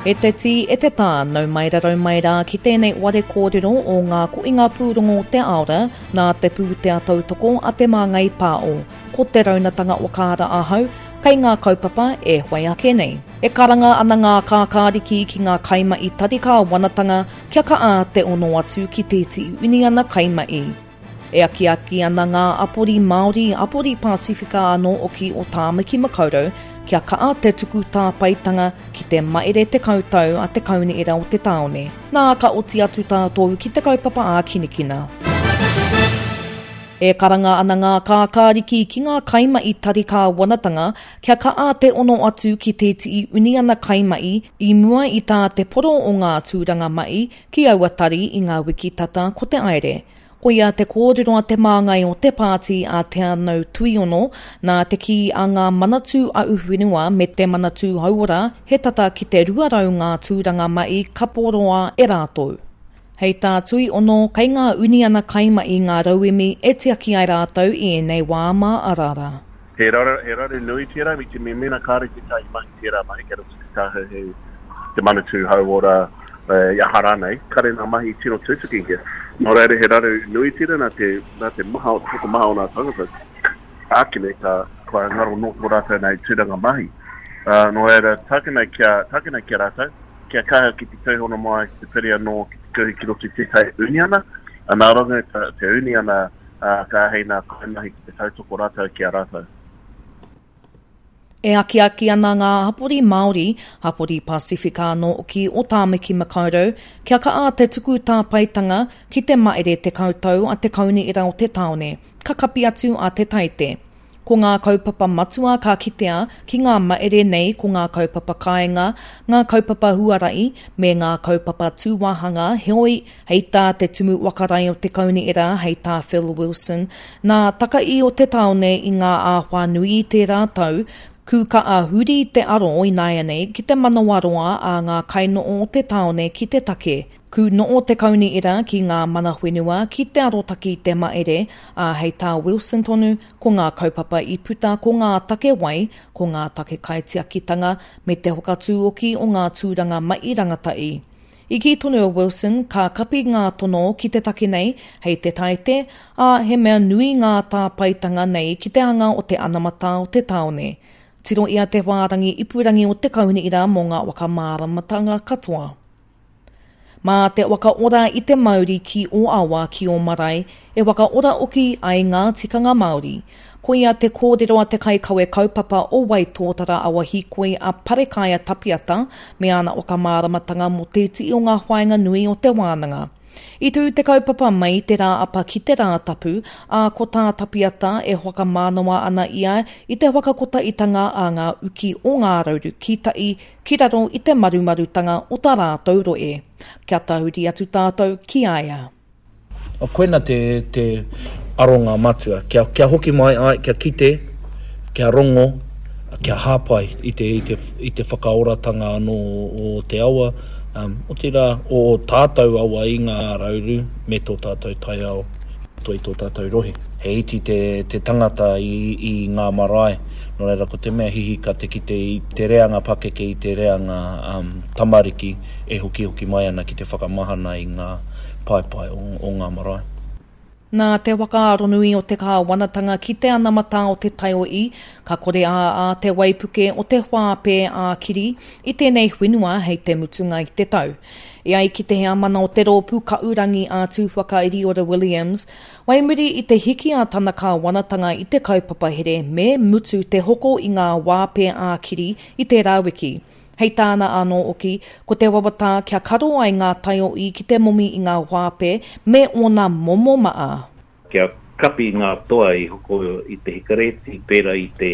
E te tī, e te tā, nau mai rarau mai rā ki tēnei ware kōrero o ngā koinga pūrongo o te aora nā te pūtea tautoko a Te Māngai Pāo. Ko Te Raunatanga Wakaara ahau, kei ngā kaupapa e whai ake nei. E karanga ana ngā kākāriki ki ngā kaimahi tari kāwanatanga kia kaha te ono atu ki tētehi uniana kaimahi. E akiaki ana ngā apori Māori, apori Pasifika anō hoki o Tāmaki Makaurau kia kaha te tuku tāpaetanga ki te maere 10 tau a te Kaunihera o te Tāone. Nā, ka oti atu tātou ki te kaupapa ākinakina. E karanga ana ngā kākāriki ki ngā kaimahi tari kāwanatanga kia kaha te ono atu ki tētehi uniana kaimahi i mua i tā te poro o ngā tūranga mahi ki aua tari i ngā wiki tata ko te aere. Koia te kōrero a te māngai o te pāti a Te Anau Tuiono, nā te kī a ngā Manatū Ahuwhenua me te Manatū Hauora he tata ki te 200 ngā tūranga mahi ka poroa e rātou. Hei tā Tuiono, kei ngā uniana kaimahi ngā rauemi e tiaki ai rātou i ēnei wā mā araara. He raru, he raru nui tērā, me te mea mēnā kāore tētahi mahi tērā mahi kei roto te tāhuhu, te Manatū Hauora, i aha rānei, kāre ngā mahi tino tutukihia. Nō reira he raru nui tērā nā te, nā te maha, te tokomaha o ngā tangata, ākene ka, kua ngaro nō tō rātou nei tūranga mahi. Uh, nō reira, tākina kia, tākina kia rātou, kia kaha ki te tūhono mai, ki te piri anō, ki te kuhu ki roto i tētahi uniana, nā runga te uniana ka āhei ngā kaimahi ki te tautoko rātou ki a rātou. E akiaki ana ngā hapori Māori, hapori Pasifika anō hoki o Tāmaki Makaurau kia kaha te tuku tāpaetanga ki te maere 10 tau a te Kaunihera o te Tāone, ka kapi atu a Te Taite. Ko ngā kaupapa matua ka kitea ki ngā maere nei ko ngā kaupapa kāinga, ngā kaupapa huarahi, me ngā kaupapa tūwāhanga, heoi, hei tā te Tumu Whakarae o te Kaunihera, hei tā Phil Wilson, nā takaī o te tāone i ngā āwhā nui i tērā tau, kūkaa huri te aro ināianei ki te manawaroa a ngā kainoho o te tāone ki te take. Ku noo te kaunihera ki ngā mana whenua ki te arotaki i te maere, ā, hei tā Wilson tonu, ko ngā kaupapa i puta ko ngā take wai, ko ngā take kaitiakitanga, me te whakatūoki o ngā tūranga mahi rangatahi. I kī tonu a Wilson, ka kapi ngā tono ki te take nei hei te Taite, ā, he mea nui ngā tāpaetanga nei ki te anga o te anamata o te tāone. Tirohia te whārangi ipurangi o te kaunihera mō ngā whakamāramatanga katoa. Mā te whakaora i te mauri ki ō awa, ki ō marae, e whakaora hoki ai ngā tikanga Māori. Koia te kōrero a te kaikawe kaupapa o Waitōtara Awa Hīkoi a Parekaia Tapiata me ana whakamāramatanga mō te iti o ngā whāinga nui o te wānanga. I tū te kaupapa mai i te Rāapa ki te Rātapu, ā, ko tā Tapiata e whakamānawa ana ia i te whakakotahitanga a ngā uki o Ngā Rauru ki Tai ki raro i te marumarutanga o tā rātou rohe. Kia tahuri atu tātou ki a ia. Koina te, te aronga matua, kia, kia hoki mai ai, kia kite, kia rongo, kia hāpai i te, i te, i te whakaoratanga anō o te awa, um, otirā, o ō tātou awa i Ngā Rauru me tō tātou taiao i tō tātou rohe. He iti te, te tangata i, i ngā marae, Nō reira, ko te mea hihika te kite i te reanga pakeke, i te reanga tamariki e hokihoki mai ana ki te whakamahana i ngā paepae o ngā marae. Nā te whakaaronui o te kāwanatanga ki te anamata o te taiohi, ka kore ā te waipuke o te whāpē ā-kiri i tēnei whenua hei te mutunga i te tau. E ai ki te heamana o te rōpū Kaurangi a Tūwhakairiora Williams, Whai muri i te hiki a tana kāwanatanga i te kaupapa here me mutu te hoko i ngā wāpē ā-kiri i tērā wiki. Hei tāna anō hoki, ko te wawata kia karo ai ngā taiohi ki te momi i ngā wāpē me ōna momo maa. Kia kapi ngā toa i hoko i te hikareti, pērā i te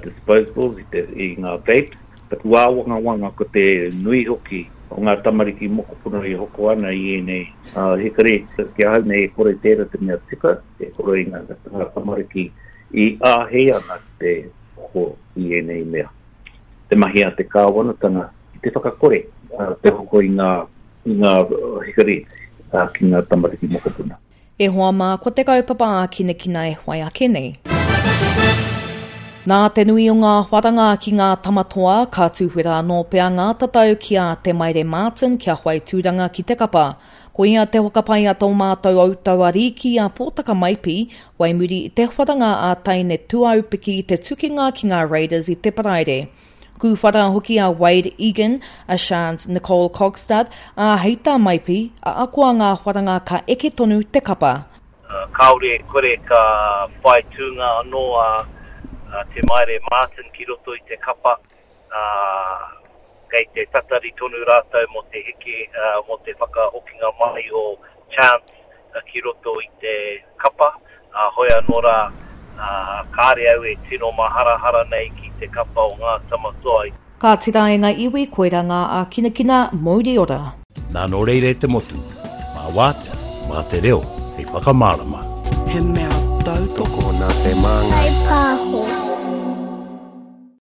disposables, i te, i ngā vapes. Taku āwangawanga ko te nui hoki o ngā tamariki mokopuna e hoko ana i ēnei hikareti. Ki ahau nei e kore tērā te mea tika, e kore i ngā tamariki i āhei ana ki te hoko i ēnei mea. Te mahi a te kāwanatanga ki te whakakore te hoko i ngā i ngā hikareti ki ngā tamariki mokopuna. E hoa mā, ko te kaupapa ākinakina e whai ake nei. Nā te nui o ngā wharanga ki ngā Tama Toa, ka tūwhera anō pea ngā tatau ki a Te Maire Martin kia whai tūranga ki te kapa. Koia te whakapae a tō mātou Outau Ariki a Pōtaka Maipi, whai muri i te wharanga a Taine Tuaupiki i te tukinga ki ngā Raiders i te Paraire. Kūwhara hoki a Wade Egan, a Shans Nicole Kogstad, ā, hei tā Maipi, ahakoa ngā wharanga ka eke tonu te kapa. Kāore e kore ka whai tūnga anō a Te Maire Martin ki roto i te kapa, ā, kei te tatari tonu rātou mō te heke, mō te whakahokinga mai o Chance ki roto i te kapa, ā, hoi anō rā, kāre au e tino maharahara nei ki te kapa o Ngā Tama Toa. Ka tira e nga iwi koira nga akinakina mouri ora. Nā nō reira e te motu, mā wātea, mā te reo hei whakamārama. He mea tautoko nā te māngai. Kaipāho.